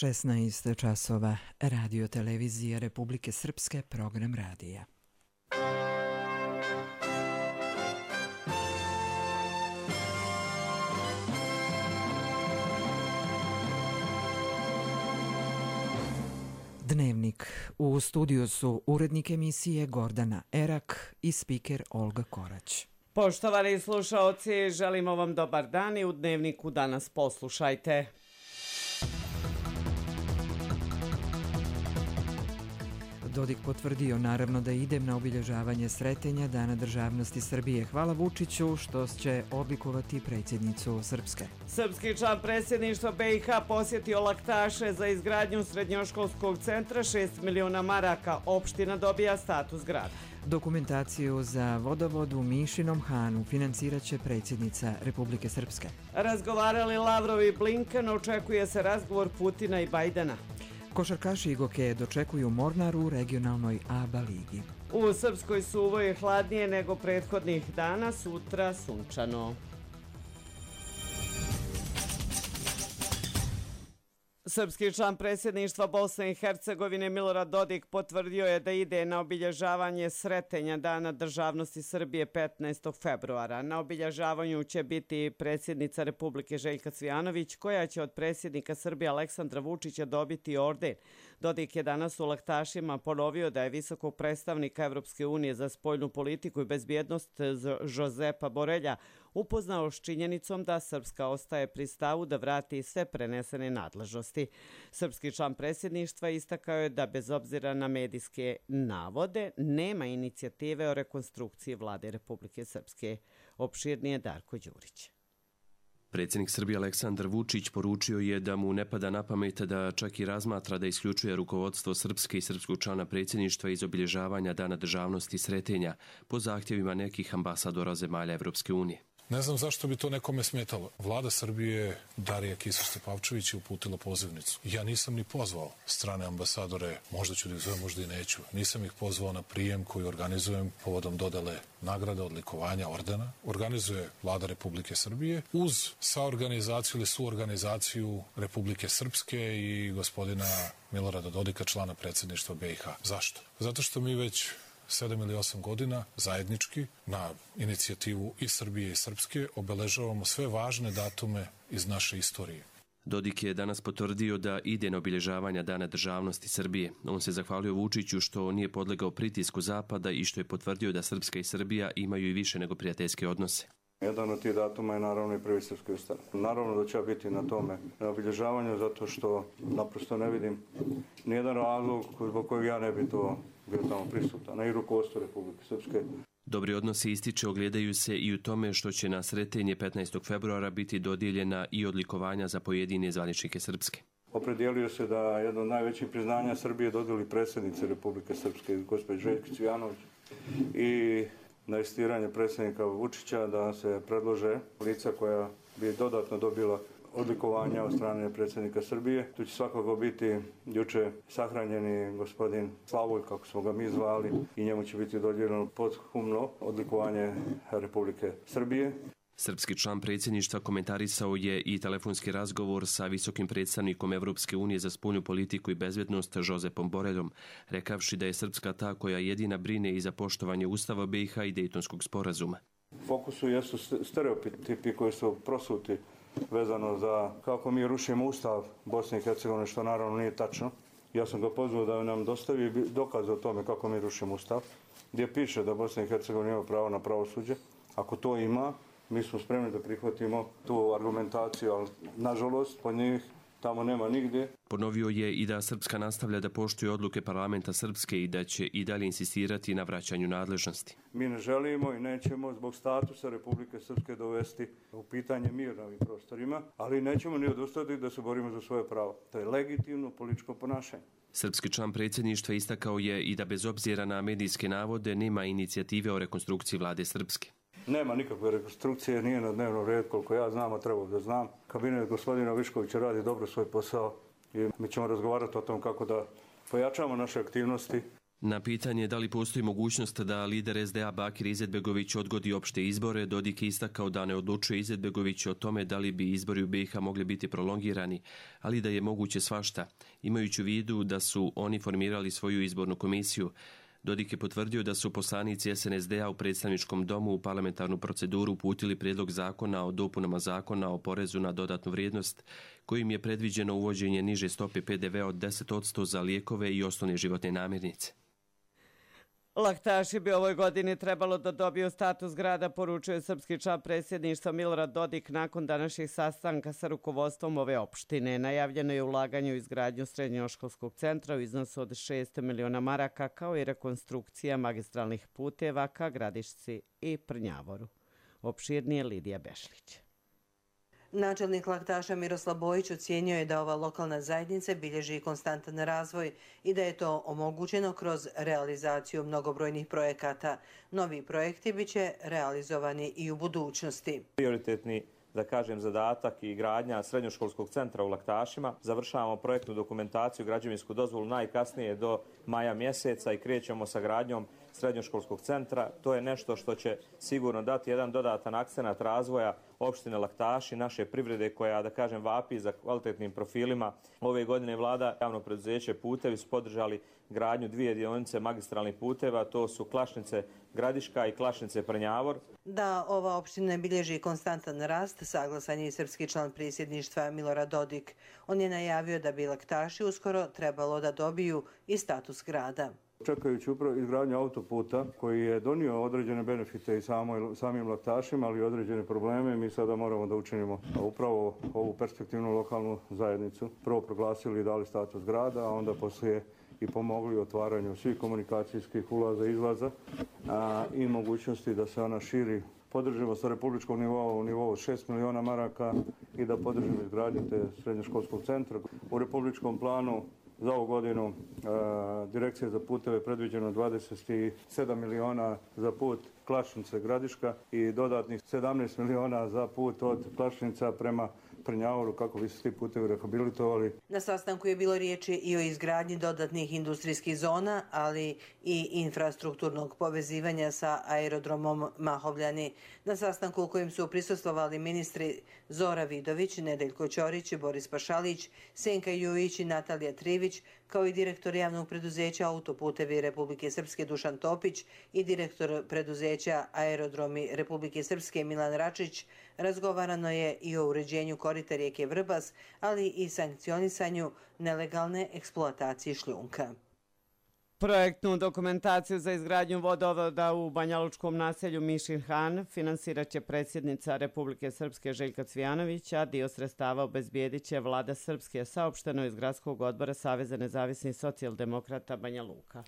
16 časova, Radio televizija Republike Srpske, program radija. Dnevnik. U studiju su urednik emisije Gordana Erak i spiker Olga Korać. Poštovani slušaoci, želimo vam dobar dan i u Dnevniku danas poslušajte. Dodik potvrdio naravno da ide na obilježavanje Sretenja Dana državnosti Srbije. Hvala Vučiću što će odlikovati predsjednicu Srpske. Srpski član predsjedništva BiH posjetio Laktaše za izgradnju srednjoškolskog centra, 6 miliona maraka. Opština dobija status grada. Dokumentaciju za vodovod u Mišinom Hanu financirat će predsjednica Republike Srpske. Razgovarali Lavrov i Blinken, očekuje se razgovor Putina i Bajdena. Košarkaši Igoke dočekuju Mornar u regionalnoj ABA ligi. U Srpskoj suvo je hladnije nego prethodnih dana, sutra sunčano. Srpski član predsjedništva Bosne i Hercegovine Milorad Dodik potvrdio je da ide na obilježavanje Sretenja Dana državnosti Srbije 15. februara. Na obilježavanju će biti predsjednica Republike Željka Cvijanović, koja će od predsjednika Srbije Aleksandra Vučića dobiti orden. Dodik je danas u Laktašima ponovio da je visokog predstavnika Evropske unije za spoljnu politiku i bezbjednost Josepa Borelja upoznao s činjenicom da Srpska ostaje pri stavu da vrati sve prenesene nadležnosti. Srpski član predsjedništva istakao je da bez obzira na medijske navode nema inicijative o rekonstrukciji vlade Republike Srpske. Opširnije Darko Đurić. Predsjednik Srbije Aleksandar Vučić poručio je da mu ne pada na pamet da čak i razmatra da isključuje rukovodstvo Srpske i srpskog člana predsjedništva iz obilježavanja Dana državnosti Sretenja po zahtjevima nekih ambasadora zemalja Evropske unije. Ne znam zašto bi to nekome smetalo. Vlada Srbije Darija Kisić-Tepavčević je uputila pozivnicu. Ja nisam ni pozvao strane ambasadore, možda ću da ih zovem, možda i neću. Nisam ih pozvao na prijem koji organizujem povodom dodale nagrada, odlikovanja, ordena. Organizuje Vlada Republike Srbije uz saorganizaciju ili suorganizaciju Republike Srpske i gospodina Milorada Dodika, člana predsjedništva BiH. Zašto? Zato što mi već 7 ili 8 godina zajednički na inicijativu i Srbije i Srpske obeležavamo sve važne datume iz naše istorije. Dodik je danas potvrdio da ide na obilježavanja Dana državnosti Srbije. On se zahvalio Vučiću što nije podlegao pritisku Zapada i što je potvrdio da Srpska i Srbija imaju i više nego prijateljske odnose. Jedan od tih datuma je naravno i prvi srpski ustav. Naravno da će ja biti na tome, na obilježavanju, zato što naprosto ne vidim nijedan razlog zbog kojeg ja ne bi to bio tamo prisutan, a i rukovodstvo Republike Srpske. Dobri odnosi, ističe, ogledaju se i u tome što će na Sretenje 15. februara biti dodijeljena i odlikovanja za pojedine zvaničnike Srpske. Opredijelio se da jedno od najvećih priznanja Srbije dodijeli predsjednice Republike Srpske, gospođe Željki Cvijanović, i na insistiranje predsjednika Vučića da se predlože lica koja bi dodatno dobila odlikovanja od strane predsjednika Srbije. Tu će svakako biti juče sahranjeni gospodin Slavoj, kako smo ga mi zvali, i njemu će biti dodijeljeno posthumno odlikovanje Republike Srbije. Srpski član predsjedništva komentarisao je i telefonski razgovor sa visokim predstavnikom Evropske unije za spoljnu politiku i bezbjednost Josepom Boreljom, rekavši da je Srpska ta koja jedina brine i za poštovanje Ustava BiH i Dejtonskog sporazuma. Fokusu jesu stereotipi koji su prosuti vezano za kako mi rušimo Ustav Bosne i Hercegovine, što naravno nije tačno. Ja sam ga pozvao da nam dostavi dokaz o tome kako mi rušimo Ustav, gdje piše da Bosna i Hercegovina ima pravo na pravosuđe. Ako to ima, mi smo spremni da prihvatimo tu argumentaciju, ali nažalost po njih tamo nema nigdje. Ponovio je i da Srpska nastavlja da poštuje odluke parlamenta Srpske i da će i dalje insistirati na vraćanju nadležnosti. Mi ne želimo i nećemo zbog statusa Republike Srpske dovesti u pitanje mir na ovim prostorima, ali nećemo ni odustati da se borimo za svoje pravo. To je legitimno političko ponašanje. Srpski član predsjedništva istakao je i da bez obzira na medijske navode nema inicijative o rekonstrukciji vlade Srpske. Nema nikakve rekonstrukcije, nije na dnevnom redu, koliko ja znam, a trebao da znam. Kabinet gospodina Viškovića radi dobro svoj posao i mi ćemo razgovarati o tom kako da pojačamo naše aktivnosti. Na pitanje da li postoji mogućnost da lider SDA Bakir Izetbegović odgodi opšte izbore, Dodik je istakao da ne odlučuje Izetbegović o tome da li bi izbori u BiH mogli biti prolongirani, ali da je moguće svašta, imajući u vidu da su oni formirali svoju izbornu komisiju. Dodik je potvrdio da su poslanici SNSD-a u predstavničkom domu u parlamentarnu proceduru uputili prijedlog zakona o dopunama zakona o porezu na dodatnu vrijednost, kojim je predviđeno uvođenje niže stope PDV od 10% za lijekove i osnovne životne namirnice. Laktaši bi ovoj godini trebalo da dobiju status grada, poručuje srpski član predsjedništva Milorad Dodik nakon današnjih sastanka sa rukovodstvom ove opštine. Najavljeno je ulaganje u izgradnju srednjoškolskog centra u iznosu od 6 miliona maraka, kao i rekonstrukcija magistralnih puteva ka Gradišci i Prnjavoru. Opširnije Lidija Bešlić. Načelnik Laktaša Miroslav Bojić ocijenio je da ova lokalna zajednica bilježi konstantan razvoj i da je to omogućeno kroz realizaciju mnogobrojnih projekata. Novi projekti biće realizovani i u budućnosti. Prioritetni zadatak i gradnja srednjoškolskog centra u Laktašima. Završavamo projektnu dokumentaciju, građevinsku dozvolu najkasnije do maja mjeseca i krećemo sa gradnjom srednjoškolskog centra. To je nešto što će sigurno dati jedan dodatan akcenat razvoja opštine Laktaši, naše privrede koja, vapi za kvalitetnim profilima. Ove godine vlada javno preduzeće Putevi su podržali gradnju 2 dionice magistralnih puteva, to su Klašnice Gradiška i Klašnice Prnjavor. Da ova opština bilježi konstantan rast, saglasan je i srpski član predsjedništva Milorad Dodik. On je najavio da bi Laktaši uskoro trebalo da dobiju i status grada. Čekajući upravo izgradnju autoputa koji je donio određene benefite i samim Laktašima, ali i određene probleme, mi sada moramo da učinimo upravo ovu perspektivnu lokalnu zajednicu. Prvo proglasili i dali status grada, a onda poslije i pomogli otvaranju svih komunikacijskih ulaza i izlaza i mogućnosti da se ona širi. Podržimo sa republičkog nivoa u nivou 6 miliona maraka i da podržimo izgradnju te srednjoškolskog centra. U republičkom planu za ovu godinu Direkcija za puteve predviđeno 27 miliona za put Klašnice Gradiška i dodatnih 17 miliona za put od Klašnica prema Prnjavoru kako bi se ti putevi rehabilitovali. Na sastanku je bilo riječi i o izgradnji dodatnih industrijskih zona, ali i infrastrukturnog povezivanja sa aerodromom Mahovljani. Na sastanku u kojem su prisustvovali ministri Zora Vidović, Nedeljko Ćorić, Boris Pašalić, Senka Jujić i Natalija Trivić, kao i direktor javnog preduzeća Autoputevi Republike Srpske Dušan Topić i direktor preduzeća Aerodromi Republike Srpske Milan Račić, razgovarano je i o uređenju korita rijeke Vrbas, ali i sankcionisanju nelegalne eksploatacije šljunka. Projektnu dokumentaciju za izgradnju vodovoda u banjalučkom naselju Mišin Han finansirat će predsjednica Republike Srpske Željka Cvijanović, a dio sredstava obezbijedit će vlada Srpske, saopšteno iz Gradskog odbora Saveza nezavisnih socijaldemokrata Banja Luka.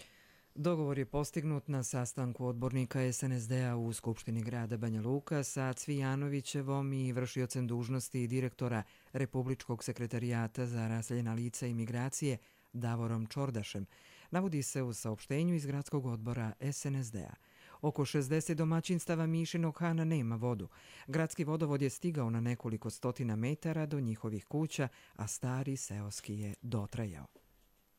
Dogovor je postignut na sastanku odbornika SNSD-a u Skupštini grada Banja Luka sa Cvijanovićevom i vršiocem dužnosti direktora Republičkog sekretarijata za raseljena lica i migracije Davorom Čordašem, navodi se u saopštenju iz Gradskog odbora SNSD-a. Oko 60 domaćinstava Mišinog Hana nema vodu. Gradski vodovod je stigao na nekoliko stotina metara do njihovih kuća, a stari seoski je dotrajao.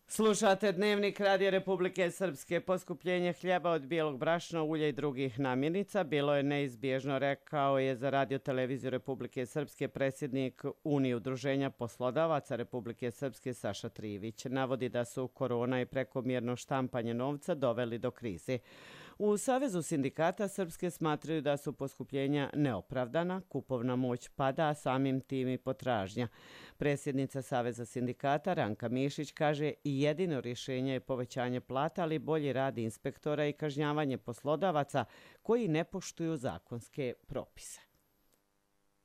Slušate Dnevnik Radija Republike Srpske. Poskupljenje hljeba od bijelog brašna, ulja i drugih namirnica bilo je neizbježno, rekao je za Radio televiziju Republike Srpske predsjednik Unije udruženja poslodavaca Republike Srpske Saša Trivić. Navodi da su korona i prekomjerno štampanje novca doveli do krize. U Savezu sindikata Srpske smatraju da su poskupljenja neopravdana, kupovna moć pada, a samim tim i potražnja. Predsjednica Saveza sindikata Ranka Mišić kaže i jedino rješenje je povećanje plata, ali bolji rad inspektora i kažnjavanje poslodavaca koji ne poštuju zakonske propise.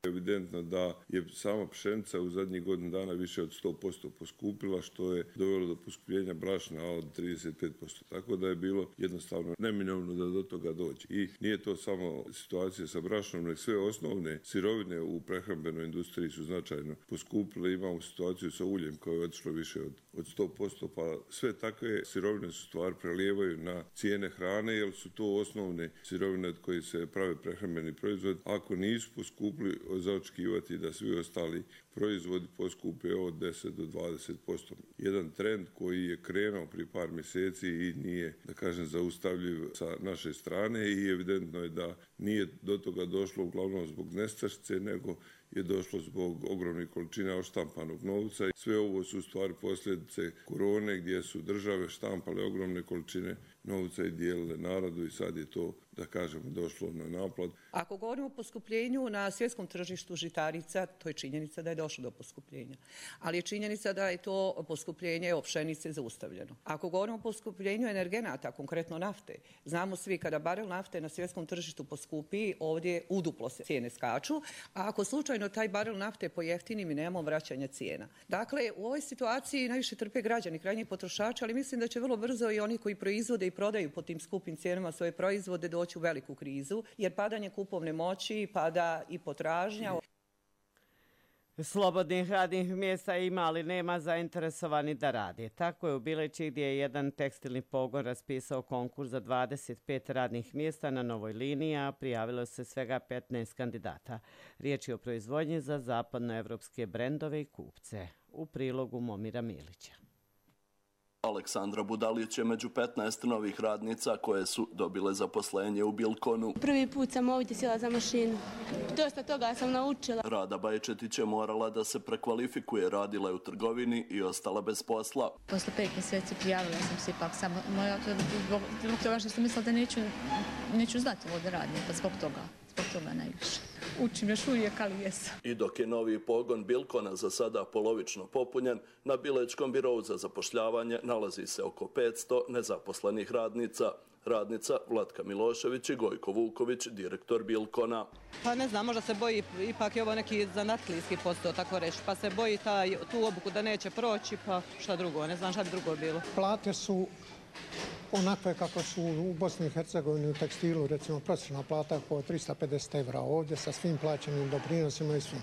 Evidentno da je sama pšenica u zadnjih godinu dana više od 100% poskupila, što je dovelo do poskupljenja brašna od 35%. Tako da je bilo jednostavno neminovno da do toga dođe. I nije to samo situacija sa brašnom, nego sve osnovne sirovine u prehrambenoj industriji su značajno poskupile. Imamo situaciju sa uljem koje je otišlo više od 100%, pa sve takve sirovine su stvar prelijevaju na cijene hrane, jer su to osnovne sirovine od koje se prave prehrambeni proizvod. Ako nisu poskupili za očekivati da svi ostali proizvodi poskupe od 10 do 20%. Jedan trend koji je krenuo prije par mjeseci i nije, da kažem, zaustavljiv sa naše strane i evidentno je da nije do toga došlo uglavnom zbog nestašice, nego je došlo zbog ogromnih količina odštampanog novca. Sve ovo su u stvari posljedice korone gdje su države štampale ogromne količine novca i dijelile narodu i sad je to, da kažemo, došlo na naplatu. Ako govorimo o poskupljenju na svjetskom tržištu žitarica, to je činjenica da je došlo do poskupljenja. Ali je činjenica da je to poskupljenje pšenice zaustavljeno. Ako govorimo o poskupljenju energenata, konkretno nafte, znamo svi kada barel nafte na svjetskom tržištu poskupi, ovdje uduplo se cijene skaču, a ako slučajno taj barel nafte pojeftini, mi nemamo vraćanja cijena. Dakle, u ovoj situaciji najviše trpe građani, krajnji potrošači, ali mislim da će vrlo brzo i oni koji proizvode i prodaju po tim skupim cijenama svoje proizvode doći u veliku krizu, jer padanje kupovne moći, pada i potražnja. Slobodnih radnih mjesta ima, ali nema zainteresovani da radi. Tako je u Bileći gdje je jedan tekstilni pogon raspisao konkurs za 25 radnih mjesta na novoj liniji, a prijavilo se svega 15 kandidata. Riječ je o proizvodnji za zapadnoevropske brendove i kupce. U prilogu Momira Milića. Aleksandra Budalić je među 15 novih radnica koje su dobile zaposlenje u Bilkonu. Prvi put sam ovdje sjela za mašinu. Dosta toga sam naučila. Rada Bajčetić je morala da se prekvalifikuje, radila je u trgovini i ostala bez posla. Posle 5 mjeseci prijavila sam se ipak samo zbog toga što sam mislila da neću znati ovo da radim, pa zbog toga najviše. Učim još uvijek, ali jesam. I dok je novi pogon Bilkona za sada polovično popunjen, na Bilečkom birou za zapošljavanje nalazi se oko 500 nezaposlenih radnica. Radnica Vlatka Milošević i Gojko Vuković, direktor Bilkona. Pa ne znam, možda se boji, ipak je ovo neki zanatlijski posao, tako reći, pa se boji tu obuku da neće proći, pa šta drugo, ne znam šta bi drugo bilo. Plate su onakve kako su u Bosni i Hercegovini u tekstilu, recimo prosječna plata je oko 350 evra ovdje sa svim plaćenim doprinosima i svim.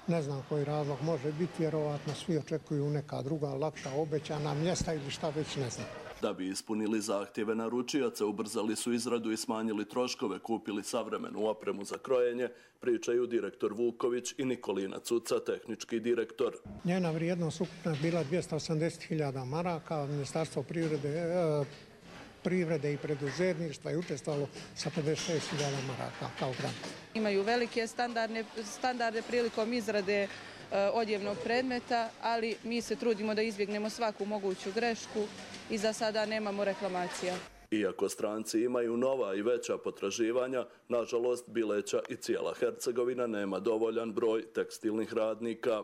Ne znam koji razlog može biti, vjerovatno svi očekuju neka druga, lakša, obećana mjesta ili šta već, ne znam. Da bi ispunili zahtjeve naručioca, ubrzali su izradu i smanjili troškove, kupili savremenu opremu za krojenje, pričaju direktor Vuković i Nikolina Cuca, tehnički direktor. Njena vrijednost ukupna je bila 280.000 maraka, Ministarstvo privrede i preduzetništva je učestvovalo sa 56.000 maraka kao grant. Imaju velike standarde prilikom izrade odjevnog predmeta, ali mi se trudimo da izbjegnemo svaku moguću grešku i za sada nemamo reklamacija. Iako stranci imaju nova i veća potraživanja, nažalost Bileća i cijela Hercegovina nema dovoljan broj tekstilnih radnika.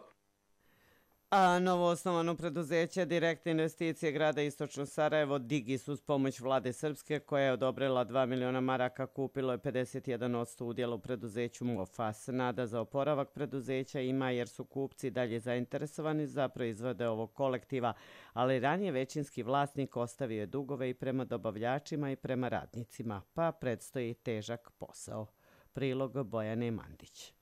A novoosnovano preduzeće Direktne investicije grada Istočno Sarajevo Digis uz pomoć vlade Srpske koja je odobrila 2 miliona maraka kupilo je 51% udjela u preduzeću Mofas. Nada za oporavak preduzeća ima jer su kupci dalje zainteresovani za proizvode ovog kolektiva, ali ranije većinski vlasnik ostavio je dugove i prema dobavljačima i prema radnicima, pa predstoji težak posao. Prilog Bojane Mandić.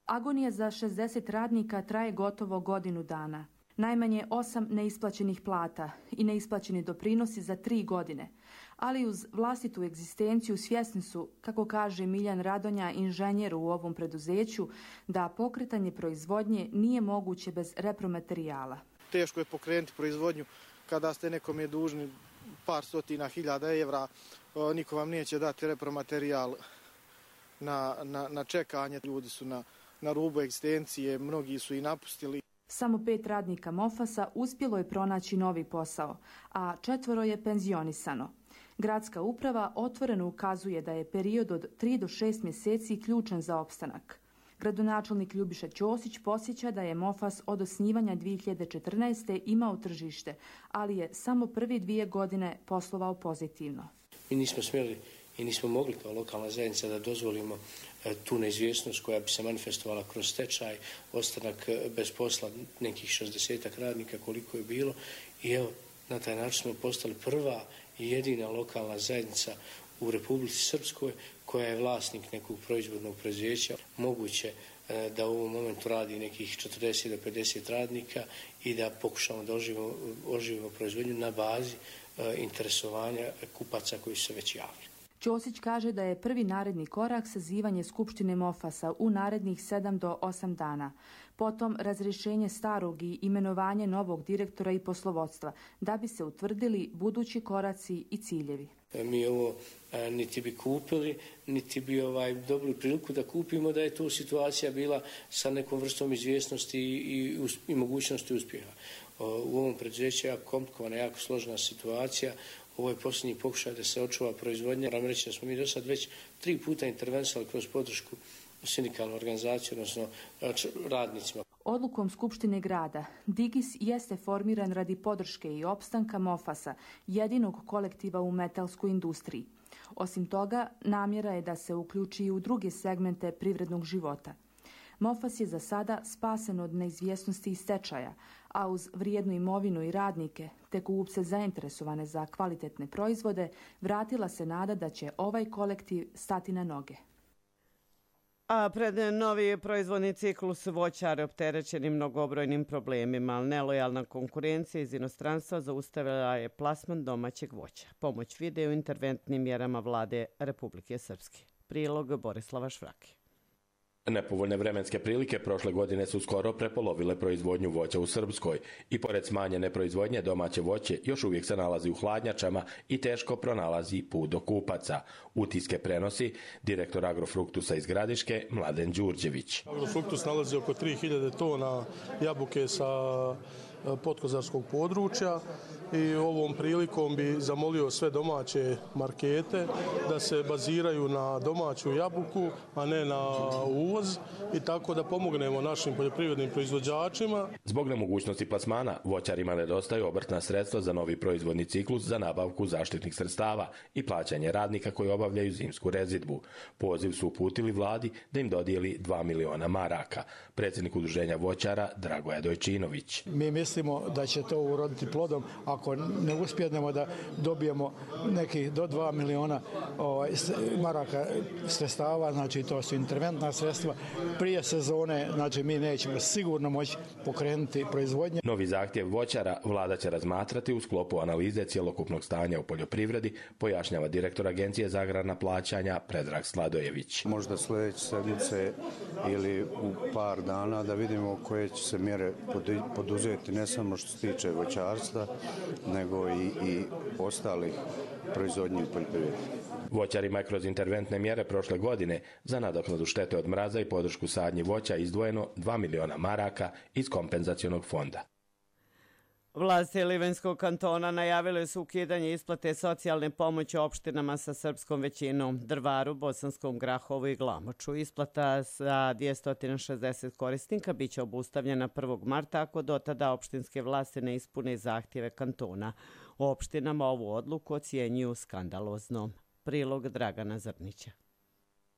Agonija za 60 radnika traje gotovo godinu dana. Najmanje 8 neisplaćenih plata i neisplaćeni doprinosi za 3 godine. Ali uz vlastitu egzistenciju svjesni su, kako kaže Miljan Radonja, inženjer u ovom preduzeću, da pokretanje proizvodnje nije moguće bez repromaterijala. Teško je pokrenuti proizvodnju kada ste nekom je dužni par stotina hiljada evra. Niko vam neće dati repromaterijal na čekanje. Ljudi su na rubu egzistencije, mnogi su i napustili. Samo 5 radnika Mofasa uspjelo je pronaći novi posao, a 4 je penzionisano. Gradska uprava otvoreno ukazuje da je period od 3 do 6 mjeseci ključan za opstanak. Gradonačelnik Ljubiša Ćosić podsjeća da je Mofas od osnivanja 2014. imao tržište, ali je samo prvi 2 godine poslovao pozitivno. Mi nismo smjeli i nismo mogli kao lokalna zajednica da dozvolimo tu neizvjesnost koja bi se manifestovala kroz stečaj, ostanak bez posla nekih 60 radnika koliko je bilo i evo na taj način smo postali prva i jedina lokalna zajednica u Republici Srpskoj koja je vlasnik nekog proizvodnog preduzeća. Moguće da u ovom momentu radi nekih 40 do 50 radnika i da pokušamo da oživimo proizvodnju na bazi interesovanja kupaca koji su se već javili. Ćosić kaže da je prvi naredni korak sazivanje Skupštine Mofasa u narednih 7 do 8 dana. Potom razrješenje starog i imenovanje novog direktora i poslovodstva, da bi se utvrdili budući koraci i ciljevi. Mi ovo niti bi kupili, niti bi dobili priliku da kupimo da je tu situacija bila sa nekom vrstom izvjesnosti i mogućnosti uspjeha. U ovom preduzeću je jako komplikovana, jako složena situacija. Ovo je posljednji pokušaj da se očuva proizvodnja. Moram reći da smo mi do sad već 3 puta intervenisali kroz podršku sindikalnu organizaciju, odnosno radnicima. Odlukom Skupštine grada Digis jeste formiran radi podrške i opstanka Mofasa, jedinog kolektiva u metalskoj industriji. Osim toga, namjera je da se uključi i u druge segmente privrednog života. Mofas je za sada spasen od neizvjesnosti i stečaja, a uz vrijednu imovinu i radnike, te kupce zainteresovane za kvalitetne proizvode, vratila se nada da će ovaj kolektiv stati na noge. A pred novi proizvodni ciklus voćare opterećeni mnogobrojnim problemima, ali nelojalna konkurencija iz inostranstva zaustavila je plasman domaćeg voća. Pomoć vide u interventnim mjerama vlade Republike Srpske. Prilog Borislava Švrake. Nepovoljne vremenske prilike prošle godine su skoro prepolovile proizvodnju voća u Srpskoj i pored smanjene proizvodnje domaće voće još uvijek se nalazi u hladnjačama i teško pronalazi put do kupaca. Utiske prenosi direktor Agrofruktusa iz Gradiške Mladen Đurđević. Agrofruktus nalazi oko 3000 tona jabuke sa podkozarskog područja i ovom prilikom bi zamolio sve domaće markete da se baziraju na domaću jabuku, a ne na uvoz i tako da pomognemo našim poljoprivrednim proizvođačima. Zbog nemogućnosti plasmana, voćarima nedostaju obrtna sredstva za novi proizvodni ciklus za nabavku zaštitnih sredstava i plaćanje radnika koji obavljaju zimsku rezidbu. Poziv su uputili vladi da im dodijeli 2 miliona maraka. Predsjednik udruženja voćara Dragoje Dojčinović. Mi mislimo da će to uroditi plodom ako ne uspjednemo da dobijemo nekih do 2 miliona maraka sredstava, znači to su interventna sredstva. Prije sezone, znači mi nećemo sigurno moći pokrenuti proizvodnje. Novi zahtjev voćara vlada će razmatrati u sklopu analize cjelokupnog stanja u poljoprivredi, pojašnjava direktor Agencije za agrarna plaćanja Predrag Sladojević. Možda sljedeće sedmice ili u par dana da vidimo koje će se mjere poduzeti, ne samo što se tiče voćarstva, nego i ostalih proizvodnji u poljoprivredi. Voćarima je kroz interventne mjere prošle godine za nadoknadu štete od mraza i podršku sadnji voća izdvojeno 2 miliona maraka iz kompenzacionog fonda. Vlasti Livanjskog kantona najavile su ukidanje isplate socijalne pomoći opštinama sa srpskom većinom, Drvaru, Bosanskom Grahovu i Glamoču. Isplata za 260 korisnika biće obustavljena 1. marta ako do tada opštinske vlasti ne ispune zahtjeve kantona. Opštinama ovu odluku ocjenjuju skandaloznom. Prilog Dragana Zrnića.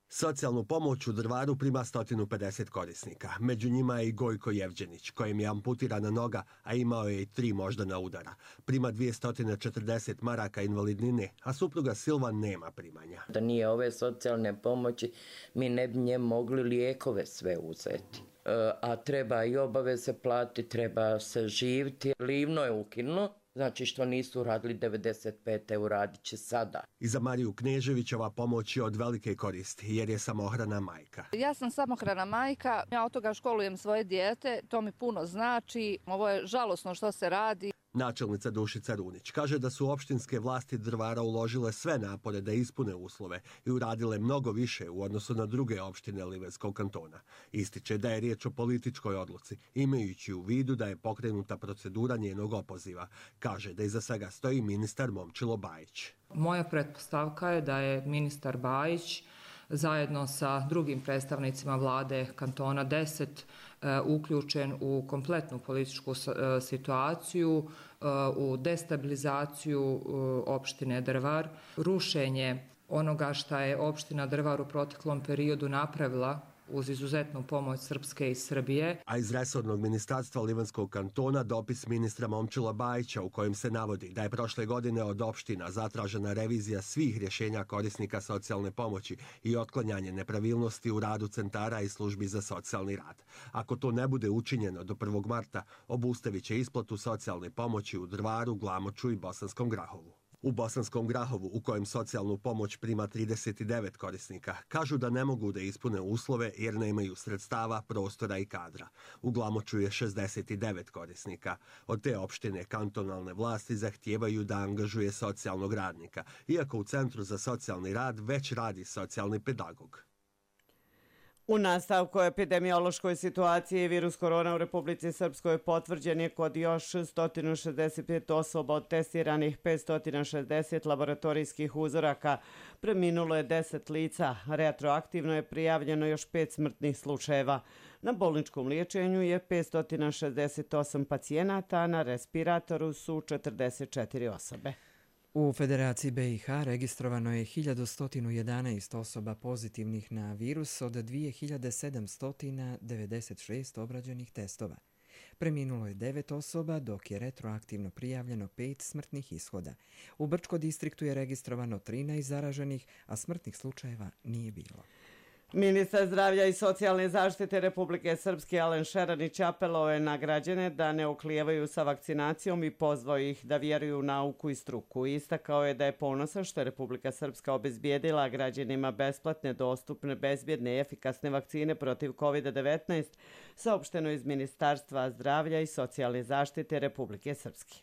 Socijalnu pomoć u Drvaru prima 150 korisnika. Među njima je i Gojko Jevđenić, kojem je amputirana noga, a imao je i 3 moždana udara. Prima 240 maraka invalidnine, a supruga Silvan nema primanja. Da nije ove socijalne pomoći, mi ne bi nje mogli lijekove sve uzeti. A treba i obaveze platiti, treba se živiti. Livno je ukinuo. Znači što nisu radili 95, evo radit će sada. I za Mariju Knežević ova pomoć je od velike koristi, jer je samohrana majka. Ja sam samohrana majka, ja od toga školujem svoje dijete, to mi puno znači, ovo je žalosno što se radi. Načelnica Dušica Runić kaže da su opštinske vlasti Drvara uložile sve napore da ispune uslove i uradile mnogo više u odnosu na druge opštine Livanjskog kantona. Ističe da je riječ o političkoj odluci, imajući u vidu da je pokrenuta procedura njenog opoziva. Kaže da iza svega stoji ministar Momčilo Bajić. Moja pretpostavka je da je ministar Bajić zajedno sa drugim predstavnicima vlade kantona 10 uključen u kompletnu političku situaciju, u destabilizaciju opštine Drvar, rušenje onoga što je opština Drvar u proteklom periodu napravila uz izuzetnu pomoć Srpske i Srbije. A iz resornog ministarstva Livanjskog kantona dopis ministra Momčila Bajića u kojem se navodi da je prošle godine od opština zatražena revizija svih rješenja korisnika socijalne pomoći i otklanjanje nepravilnosti u radu centara i službi za socijalni rad. Ako to ne bude učinjeno do 1. marta, obustavit će isplatu socijalne pomoći u Drvaru, Glamoču i Bosanskom Grahovu. U Bosanskom Grahovu, u kojem socijalnu pomoć prima 39 korisnika, kažu da ne mogu da ispune uslove jer nemaju sredstava, prostora i kadra. U Glamoču je 69 korisnika. Od te opštine kantonalne vlasti zahtijevaju da angažuje socijalnog radnika, iako u Centru za socijalni rad već radi socijalni pedagog. U nastavku epidemiološkoj situaciji virus korona u Republici Srpskoj potvrđen je kod još 165 osoba od testiranih 560 laboratorijskih uzoraka. Preminulo je 10 lica. Retroaktivno je prijavljeno još 5 smrtnih slučajeva. Na bolničkom liječenju je 568 pacijenata, a na respiratoru su 44 osobe. U Federaciji BiH registrovano je 1111 osoba pozitivnih na virus od 2796 obrađenih testova. Preminulo je 9 osoba, dok je retroaktivno prijavljeno 5 smrtnih ishoda. U Brčko distriktu je registrovano 13 zaraženih, a smrtnih slučajeva nije bilo. Ministar zdravlja i socijalne zaštite Republike Srpske Alen Šeranić apelovao je na građane da ne oklijevaju sa vakcinacijom i pozvao ih da vjeruju u nauku i struku. Istakao je da je ponosan što je Republika Srpska obezbijedila građanima besplatne, dostupne, bezbjedne i efikasne vakcine protiv COVID-19, saopšteno iz Ministarstva zdravlja i socijalne zaštite Republike Srpske.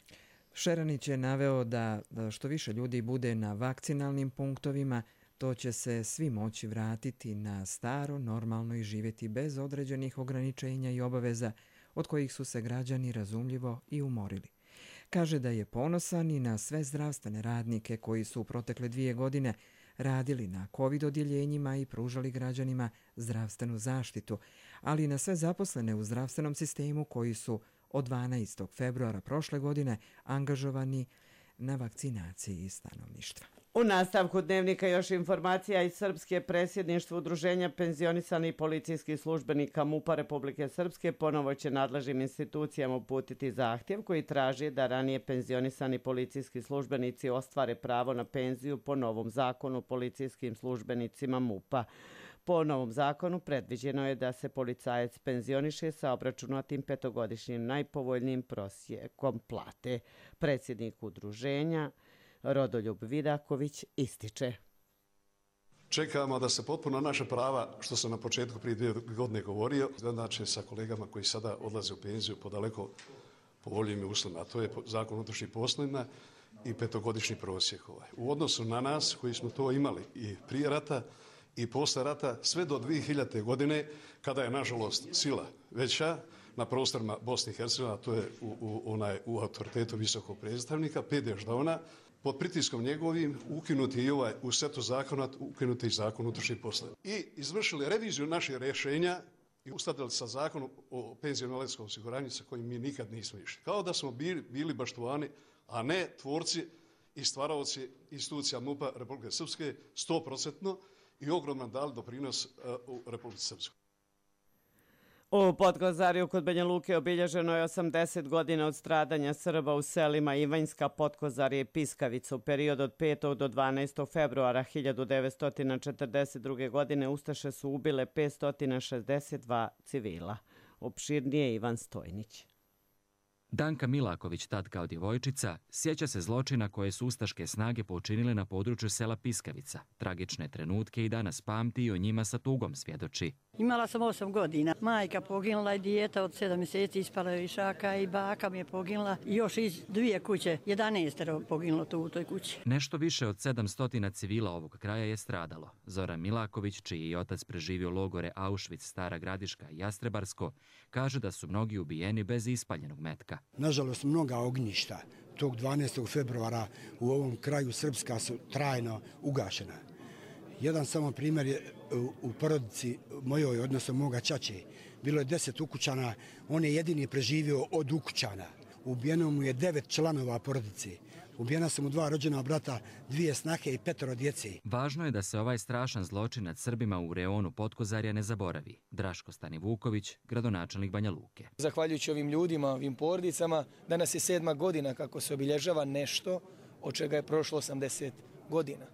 Šeranić je naveo da što više ljudi bude na vakcinalnim punktovima, to će se svi moći vratiti na staro, normalno i živjeti bez određenih ograničenja i obaveza od kojih su se građani razumljivo i umorili. Kaže da je ponosan i na sve zdravstvene radnike koji su u protekle 2 godine radili na COVID odjeljenjima i pružali građanima zdravstvenu zaštitu, ali i na sve zaposlene u zdravstvenom sistemu koji su od 12. februara prošle godine angažovani na vakcinaciji stanovništva. U nastavku dnevnika još informacija iz Srpske. Predsjedništvo Udruženja penzionisanih policijskih službenika MUP-a Republike Srpske ponovo će nadležnim institucijama uputiti zahtjev koji traži da ranije penzionisani policijski službenici ostvare pravo na penziju po novom zakonu o policijskim službenicima MUP-a. Po novom zakonu predviđeno je da se policajac penzioniše sa obračunatim 5-godišnjim najpovoljnijim prosjekom plate. Predsjednik udruženja Rodoljub Vidaković ističe. Čekamo da se potpuno naše prava, što sam na početku prije 2 godine govorio, znači sa kolegama koji sada odlaze u penziju po daleko povoljnijim uslovima, a to je zakon o unutrašnjim poslovima i 5-godišnji prosjek. U odnosu na nas koji smo to imali i prije rata i posle rata, sve do 2000. godine, kada je nažalost sila veća na prostorima Bosne i Hercegovine, to je u autoritetu visokog predstavnika, Pede Ždavna, pod pritiskom njegovim ukinuti i u setu zakona, ukinuti i zakon o unutrašnjim poslovima. I izvršili reviziju naših rješenja i uskladili sa zakonom o penzijsko-invalidskom osiguranju sa kojim mi nikad nismo išli. Kao da smo bili baštovani, a ne tvorci i stvaraoci institucija MUP-a Republike Srpske 100% i ogromno dali doprinos u Republici Srpskoj. U Podkozarju kod Banja Luke obilježeno je 80 godina od stradanja Srba u selima Ivanjska, Podkozarje i Piskavica. U periodu od 5. do 12. februara 1942. godine Ustaše su ubile 562 civila. Opširnije Ivan Stojnić. Danka Milaković, tad kao djevojčica, sjeća se zločina koje su ustaške snage počinile na području sela Piskavica. Tragične trenutke i danas pamti i o njima sa tugom svjedoči. Imala sam 8 godina. Majka poginula i dijeta od 7 mjeseci ispala je iz šaka i baka mi je poginula. I još iz 2 kuće, 11 poginulo tu u toj kući. Nešto više od 700 civila ovog kraja je stradalo. Zoran Milaković, čiji je otac preživio logore Auschwitz, Stara Gradiška i Jastrebarsko, kaže da su mnogi ubijeni bez ispaljenog metka. Nažalost, mnoga ognjišta tog 12. februara u ovom kraju Srpska su trajno ugašena. Jedan samo primjer je u porodici mojoj, odnosno moga ćaće. Bilo je 10 ukućana, on je jedini preživio od ukućana. Ubijeno mu je 9 članova porodice. Ubijena su mu 2 rođena brata, 2 snahe i 5 djece. Važno je da se ovaj strašan zločin nad Srbima u reonu Podkozarja ne zaboravi. Draško Stanivuković, gradonačelnik Banja Luke. Zahvaljujući ovim ljudima, ovim porodicama, danas je 7. godina kako se obilježava nešto od čega je prošlo 80 godina.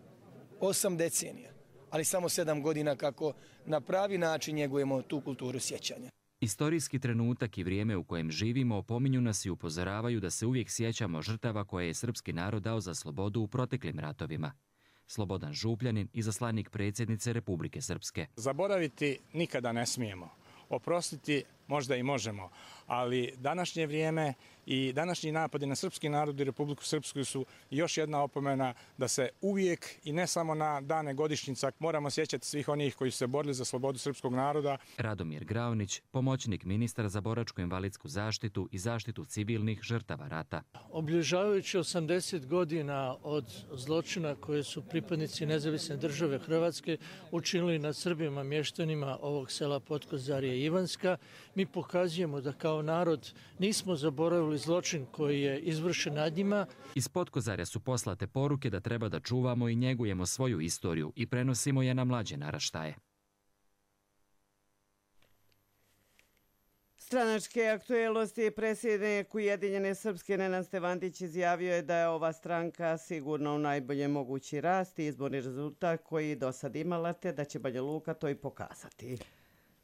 8 decenija, ali samo 7 godina kako na pravi način njegujemo tu kulturu sjećanja. Istorijski trenutak i vrijeme u kojem živimo opominju nas i upozoravaju da se uvijek sjećamo žrtava koje je srpski narod dao za slobodu u proteklim ratovima. Slobodan Župljanin, izaslanik predsjednice Republike Srpske. Zaboraviti nikada ne smijemo. Oprostiti možda i možemo, ali današnje vrijeme i današnji napadi na srpski narod i Republiku Srpsku su još jedna opomena da se uvijek i ne samo na dane godišnjica moramo sjećati svih onih koji su se borili za slobodu srpskog naroda. Radomir Graunić, pomoćnik ministra za boračko-invalidsku zaštitu i zaštitu civilnih žrtava rata. Obilježavajući 80 godina od zločina koje su pripadnici Nezavisne države Hrvatske učinili nad Srbima mještanima ovog sela Potkozarje i Ivanska, mi pokazujemo da kao narod nismo zaboravili zločin koji je izvršen nad njima. Iz Potkozarja su poslate poruke da treba da čuvamo i njegujemo svoju istoriju i prenosimo je na mlađe naraštaje. Stranačke aktuelnosti predsjednik Ujedinjene Srpske Nenad Stevandić izjavio je da je ova stranka sigurno u najbolje mogući rast i izborni rezultat koji do sad imala, te da će Banja Luka to i pokazati.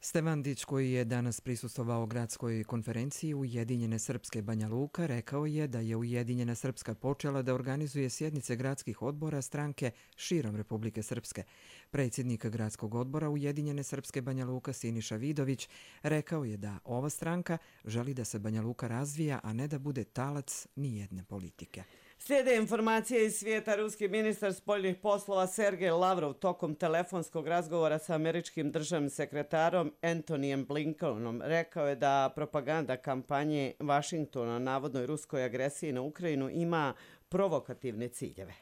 Stevandić, koji je danas prisustvovao gradskoj konferenciji Ujedinjene Srpske Banja Luka, rekao je da je Ujedinjena Srpska počela da organizuje sjednice gradskih odbora stranke širom Republike Srpske. Predsjednik gradskog odbora Ujedinjene Srpske Banja Luka Siniša Vidović rekao je da ova stranka želi da se Banja Luka razvija, a ne da bude talac nijedne politike. Slijede informacije iz svijeta. Ruski ministar spoljnih poslova Sergej Lavrov tokom telefonskog razgovora sa američkim državnim sekretarom Antonijem Blinkenom rekao je da propaganda kampanje Vašingtona o navodnoj ruskoj agresiji na Ukrajinu ima provokativne ciljeve.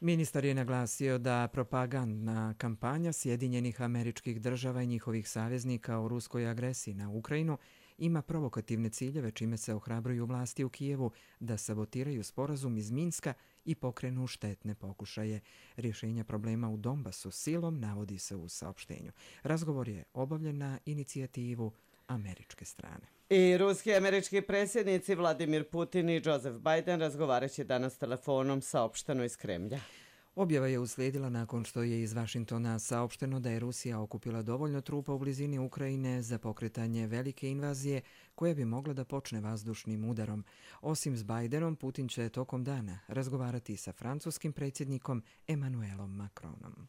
Ministar je naglasio da propagandna kampanja Sjedinjenih Američkih Država i njihovih saveznika o ruskoj agresiji na Ukrajinu ima provokativne ciljeve, čime se ohrabruju vlasti u Kijevu da sabotiraju sporazum iz Minska i pokrenu štetne pokušaje rješenja problema u Donbasu silom, navodi se u saopštenju. Razgovor je obavljen na inicijativu američke strane. I ruski i američki predsjednici Vladimir Putin i Joseph Biden razgovarat će danas telefonom, saopšteno iz Kremlja. Objava je uslijedila nakon što je iz Vašingtona saopšteno da je Rusija okupila dovoljno trupa u blizini Ukrajine za pokretanje velike invazije koja bi mogla da počne vazdušnim udarom. Osim s Bidenom, Putin će tokom dana razgovarati sa francuskim predsjednikom Emmanuelom Macronom.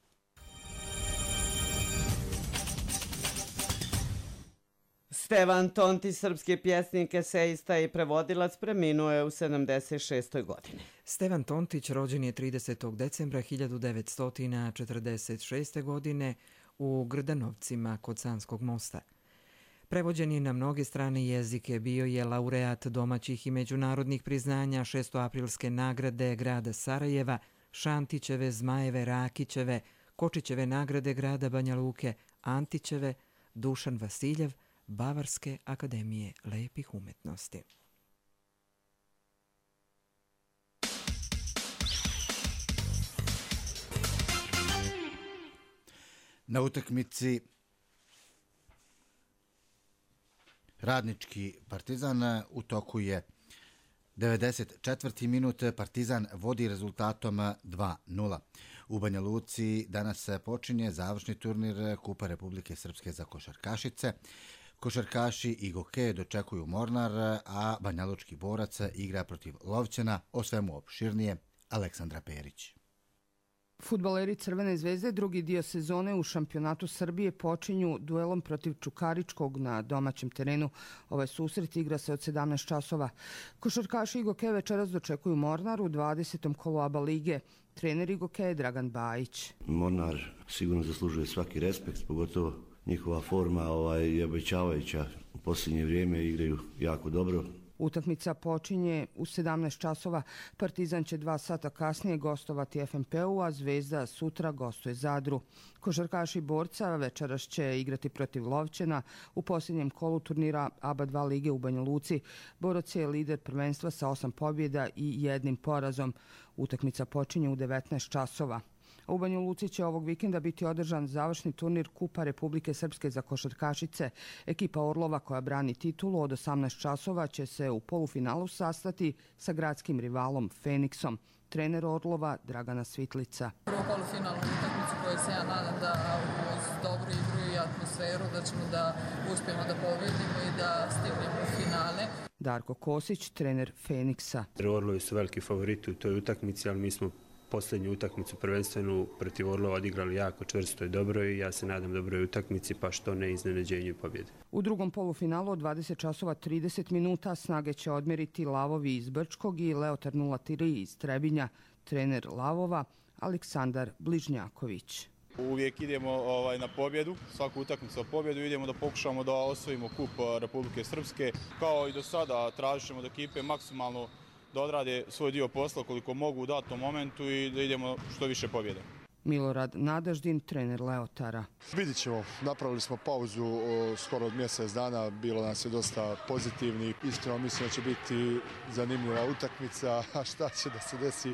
Stevan Tontić, srpski pjesnik, esejista i prevodilac, preminuo je u 76. godini. Stevan Tontić rođen je 30. decembra 1946. godine u Grdanovcima kod Sanskog mosta. Prevođen je na mnoge strane jezike, bio je laureat domaćih i međunarodnih priznanja, 6. nagrade grada Sarajeva, Šantićeve, Zmajeve, Rakićeve, Kočićeve nagrade grada Banja Luke, Antićeve, Dušan Vasiljev, Bavarske akademije lepih umetnosti. Na utakmici Radnički Partizan u toku je 94. minut. Partizan vodi rezultatom 2:0. U Banja Luci danas počinje završni turnir Kupa Republike Srpske za košarkašice. Košarkaši i Goke dočekuju Mornar, a banjalučki Borac igra protiv Lovćana. O svemu opširnije Aleksandra Perić. Fudbaleri Crvene zvezde drugi dio sezone u šampionatu Srbije počinju duelom protiv Čukaričkog na domaćem terenu. Ovaj susret igra se od 17 časova. Košarkaši Igoke večeras dočekuju Mornar u 20. kolu ABA lige. Trener Igoke je Dragan Bajić. Mornar sigurno zaslužuje svaki respekt, pogotovo njihova forma je obećavajuća. U posljednje vrijeme igraju jako dobro. Utakmica počinje u 17 časova. Partizan će 2 sata kasnije gostovati FNP-u, a Zvezda sutra gostuje Zadru. Košarkaši Borca večeras će igrati protiv Lovćena u posljednjem kolu turnira ABA 2 lige u Banja Luci. Borac je lider prvenstva sa 8 pobjeda i 1 porazom. Utakmica počinje u 19 časova. U Banja Luci će ovog vikenda biti održan završni turnir Kupa Republike Srpske za košarkašice. Ekipa Orlova koja brani titulu od 18 časova će se u polufinalu sastati sa gradskim rivalom Feniksom. Trener Orlova Dragana Svitlica. Prvo polufinalnu utakmicu koju se ja nadam da uz dobru igru i atmosferu, da ćemo da uspijemo da pobedimo i da stignemo u finale. Darko Kosić, trener Feniksa. Orlovi su veliki favoriti u toj utakmici, ali mi smo posljednju utakmicu prvenstvenu protiv Orlova odigrali jako čvrsto i dobro i ja se nadam dobroj utakmici, pa što ne iznenađenju i pobjede. U drugom polufinalu od 20 časova 30 minuta snage će odmjeriti Lavovi iz Brčkog i Leotar 03 iz Trebinja. Trener Lavova Aleksandar Bližnjaković. Uvijek idemo na pobjedu, svaku utakmicu o pobjedu, idemo da pokušamo da osvojimo kup Republike Srpske. Kao i do sada tražit ćemo od ekipe maksimalno da odrade svoj dio posla koliko mogu u datom momentu i da idemo što više pobjede. Milorad Nadaždin, trener Leotara. Vidit ćemo, napravili smo pauzu skoro od mjesec dana, bilo nas je dosta pozitivni. Iskreno mislim da će biti zanimljiva utakmica, a šta će da se desi,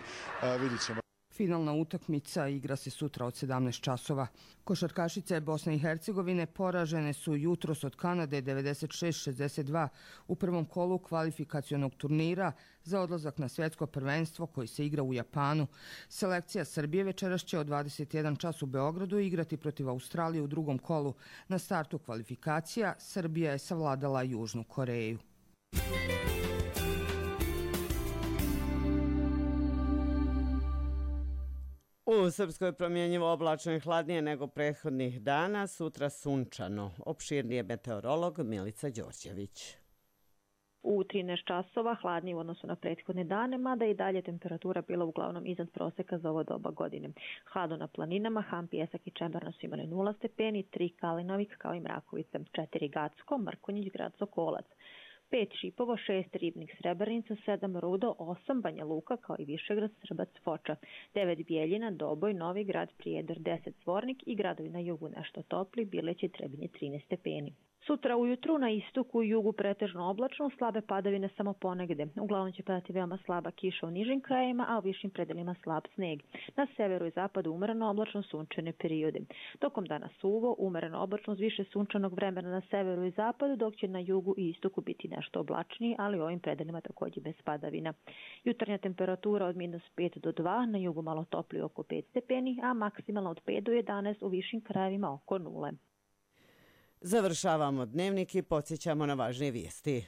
vidit ćemo. Finalna utakmica igra se sutra od 17 časova. Košarkašice Bosne i Hercegovine poražene su jutros od Kanade 96-62 u prvom kolu kvalifikacionog turnira za odlazak na svjetsko prvenstvo koji se igra u Japanu. Selekcija Srbije večeras će od 21 čas u Beogradu igrati protiv Australije u drugom kolu. Na startu kvalifikacija Srbija je savladala Južnu Koreju. U Srpskoj promjenjivo oblačno i hladnije nego prethodnih dana, sutra sunčano. Opširnije meteorolog Milica Đorđević. U 13 časova hladnije u odnosu na prethodne dane, mada i dalje temperatura bila uglavnom iznad proseka za ovo doba godine. Hladno na planinama, Ham, Pijesak i Čemberno su imali 0 stepeni, 3 Kalinovik kao i Mrakovica, 4 Gacko, Mrkonjić, grad Sokolac, 5 Šipovo, 6 Ribnik, Srebrenica, 7 Rudo, 8 Banja Luka kao i Višegrad, Srbac, Foča, 9 Bijeljina, Doboj, Novi Grad, Prijedor, 10 Zvornik i gradovi na jugu nešto topli, Bileći, Trebinje 13 stepeni. Sutra ujutru na istoku i jugu pretežno oblačno, slabe padavine samo ponegde. Uglavnom će padati veoma slaba kiša u nižim krajevima, a u višim predelima slab sneg. Na severu i zapadu umereno oblačno sunčane periode. Tokom dana suvo, umereno oblačno uz više sunčanog vremena na severu i zapadu, dok će na jugu i istoku biti nešto oblačniji, ali u ovim predelima također bez padavina. Jutarnja temperatura od -5 do 2, na jugu malo toplije oko 5 stepeni, a maksimalno od 5 do 11 u višim krajevima oko 0. Završavamo dnevnik i podsjećamo na važnije vijesti.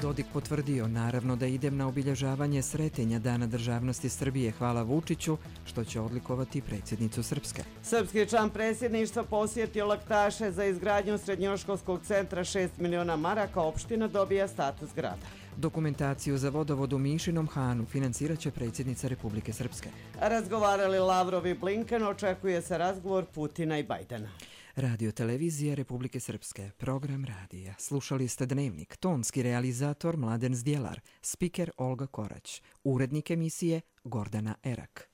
Dodik potvrdio, naravno da idem na obilježavanje Sretenja Dana državnosti Srbije. Hvala Vučiću, što će odlikovati predsjednicu Srpske. Srpski član predsjedništva posjetio Laktaše za izgradnju srednjoškolskog centra 6 miliona maraka. Opština dobija status grada. Dokumentaciju za vodovod u Mišinom Hanu financirat će predsjednica Republike Srpske. Razgovarali Lavrov i Blinken, očekuje se razgovor Putina i Bajdena. Radio televizije Republike Srpske, program radija. Slušali ste Dnevnik, tonski realizator Mladen Zdjelar, spiker Olga Korać, urednik emisije Gordana Erak.